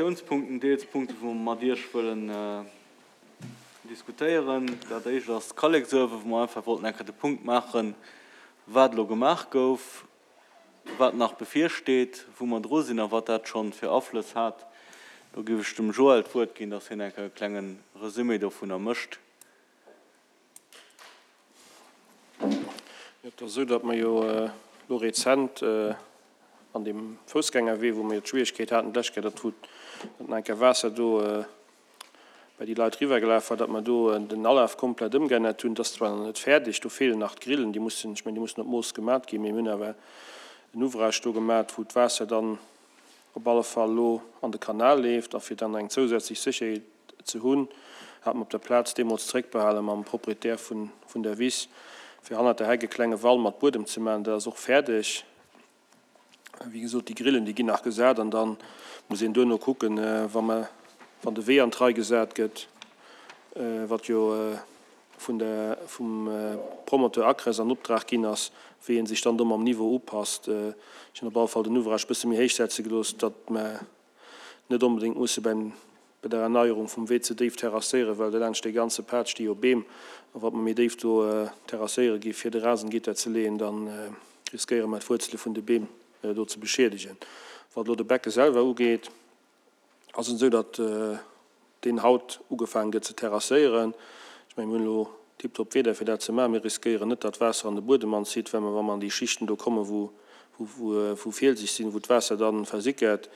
Diskusiounspunkten, deels Punkte wou mer mat Iech wëllen diskutéieren. Dat éischt ass d'Kalleksuewe, wou mer einfach wollten eng Kéier de Punkt maachen, wat elo gemaach gouf, wat nach bevirsteet, wou mer dru sinn a wat dat schonn fir Aflëss hat. Do géif ech dem Joël d'Wuert ginn, dass hien eng Kéier e klenge Resumé dovunner mécht. Et ass esou, datt mer jo elo rezent an deem Foussgängerwee, wou mer jo d'Schwierigkeet haten d'lescht Kéier, datt wou nach eng Kéier Waasser do bei déi Leit eriwwergelaf war, datt mer do den Alaf komplett ëmgeännert hunn. Dat ass zwar nach net fäerdeg, do feelen nach d'Grillen, déi mussen, ech mengen, déi mussen op Mooss gemat ginn, mee mir hunn awer en Ouvrage do gemat, wou d'Waasser dann op alle Fall elo an de Kanal leeft a fir dann eng zousätzlech Sécherheet ze hunn, hat mer op der Plaz deemools zréckbehale mam Proprietär vun der Wiss, fir hannert der Heck e klenge Wall mat Buedem ze maachen. Dat ass och fäerdeg. Wéi gesot, déi Grillen, déi ginn nach gesat an da muss een duerno kucken, wa mer, wann de Wee an d'Rei gesat gëtt, wat jo vun der, vum Promoteur Acres an Optrag ginn ass, wéi ee sech dann do mam Niveau upasst. Ech hunn op alle Fall den Ouvrage e bësse méi héich setze gelooss, datt mer net onbedéngt musse beim, bei der Erneierung vum Wee ze déif terrasséieren, well dolaanscht dee ganze Pad sti jo Beem, a wa mer méi déif do terrasséiere gi fir de Rasengitter ze leeën, da riskéiere mer d'Wuerzele vun de Beem do ze beschiedegen. Wat elo de Becke selwer ugeet, ass et esou, datt deen haut ugefaangen gëtt ze terrasséieren. Ech mengen, mir hunn elo tiptop Wieder fir dat ze maachen. Mir riskéieren net, datt d'Waasser an de Buedem anzitt, well mer, wa mer an déi Schichten do kommen, wou, wou fielseg sinn, wou d'Waasser da versickert,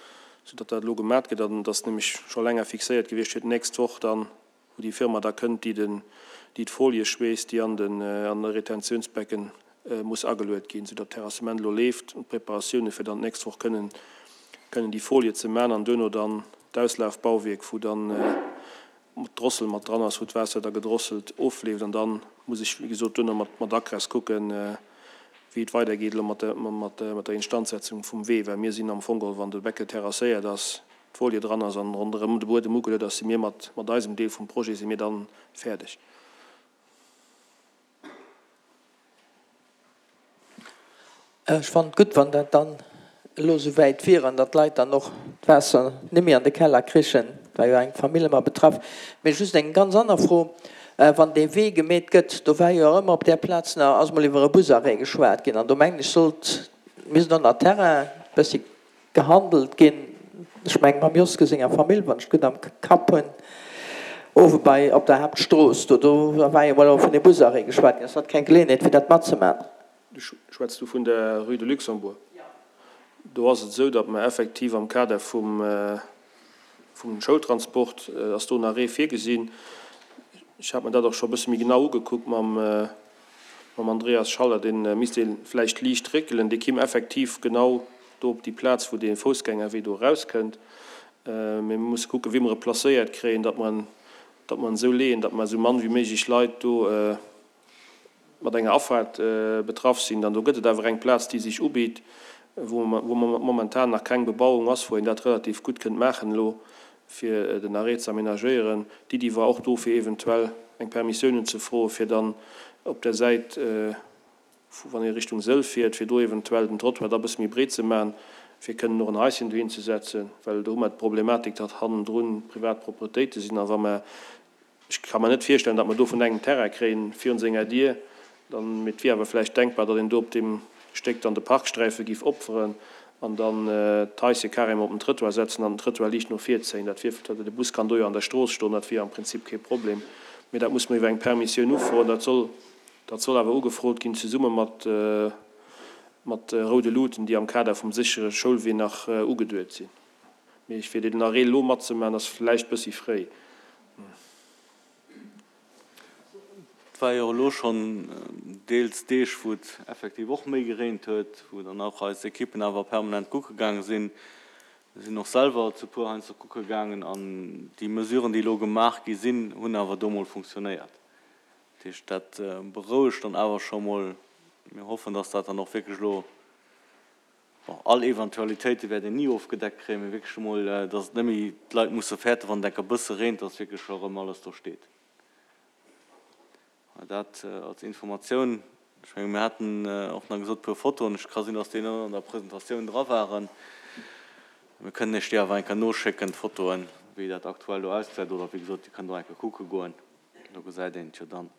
soudatt dat elo gemat gëtt. An et ass nämlech scho länger fixéiert gewiescht fir d'nächst Woch dann, wou déi Firma da kënnt, déi den, déi d'Folie schweesst, déi an den, an de Retentiounsbecken muss ageluet ginn, soudatt d'Terrassement elo leeft an d'Preparatioune fir dann d'nächst Woch kënnen, kënnen déi Folie ze man an duerno dann d'Auslafbauwierk, wou dann d'Drossel mat dran ass, wou d'Waasser da gedrosselt ofleeft. An da muss ech, wéi gesot, duerno mat, mat Acres kucken, wéi et weidergeet elo mat der, mat der Instandsetzung vum Wee, well mir sinn am Fong geholl, wann de Becke terrasséiert ass, d'Folie dran ass an ronderëm de Buedem ugeluet ass, si mir mat, mat eisem Deel vum Projet si mir dann fäerdeg. Ech fannen et gutt, wann dat dann elo esou wäit wier an datt d'Leit dann och d'Waasser net méi an de Keller krichen. Et war jo eng Famill ëmmer betraff. Mee just eng ganz aner Fro, Wann dee Wee gemeet gëtt, do war jo och ëmmer op där Plaz nach, ass mol iwwer e Busarrêt geschwat ginn an do mengen ech sollt, misst och nach Terrain e bëssi Gehandelt ginn, ech mengen mam Joske senger Famill, wann ech et gutt am Kapp hunn, owe bei op der Haaptstrooss do, do war jo mol och vun deem Busarrêt geschwat ginn. Ass dat keng Geleeënheet fir dat matzemaachen? Du schwätz do vun der Rue de Luxembourg. Do ass et esou, datt mer effektiv am Kader vum vum Schoultransport ass do en Arrêt virgesinn. Ech hat mer dat och scho e bësse méi genau ugekuckt mam mam Andreas Schaller. Dee misst ee vläicht liicht réckelen. Dee kimm effektiv genau do op déi Plaz, wou dee Foussgängerwee do erauskënnt. Mee mir musse kucken, wéi mer e placéiert kréien, datt mer en, datt mer en esou leeën, datt mer esou mann wéi méiglech Leit do mat enger Afaart betraff sinn. Dann do gëtt et awer eng Plaz, déi sech ubitt, wou momentan nach keng Bebauung ass, wou een dat relativ gutt kënnt maachen elo, fir den Arrêt ze aménagéieren. D'Iddi war och do, fir eventuell eng Permissioun unzefroen, fir dann op der Säit, wann ee Richtung Sëll fiert, fir do eventuell den Trottoir da bësse méi breet ze maachen, fir kënnen och en Haischen dohin ze setzen, well do hu mer d'Problematik, datt hannendrun privat Propretéite sinn a wa mer Ech ka mer net virstellen, datt mer do vun engem Terrain kréien virun senger Dier. Dann, mee et wier awer vläicht denkbar, datt een do op deem Stéck dann de Parksträife giff opferen an dann d'Haische carrément op den Trëttoir setzen an den Trëttoir liicht no vir zéien. Dat wier, de Bus kann do jo an der Strooss stoen, dat wier am Prinzip kee Problem. Mee dat muss mer iwwer eng Permissioun ufroen. Dat soll, dat soll awer ugefrot ginn zesumme mat, mat roude Luuten, déi am Kader vum séchere Schoulwee nach ugeduet sinn. Mee fir den Arrêt elo matzemaachen, ass vläicht bëssi fréi. Et war jo elo schonn deels Deeg, wou et effektiv och méi gereent huet, wou dann och eis Ekippen awer permanent kucke gaange sinn. Mir sinn och selwer zu puer heiansdo kucke gaangen an déi Mesuren, déi elo gemaach gi sinn, hunn awer do mol funktionéiert. Dat heescht, dat berouegt dann awer scho mol. Mir hoffen, dass dat dann och wierklech elo Bon, all Eventualitéite wäert een ni ofgedeckt kréien, mee wierklech emol, dass et net méi d'Leit musse fäerten, wann et enker bësse reent, dass wierklech scho erëm alles do steet. Dat als Informatioun. Ech menge mir haten och nach gesot, e puer Fotoen, ech ka sinn, dass déi net an der Presentatioun dra waren. Mir kënnen Iech déi awer eng Kéier noschécken, d'Fotoen, wéi dat aktuell do ausgesäit. Oder wéi gesot, Dir kënnt och eng Kéier kucke goen, do gesäit een et jo dann.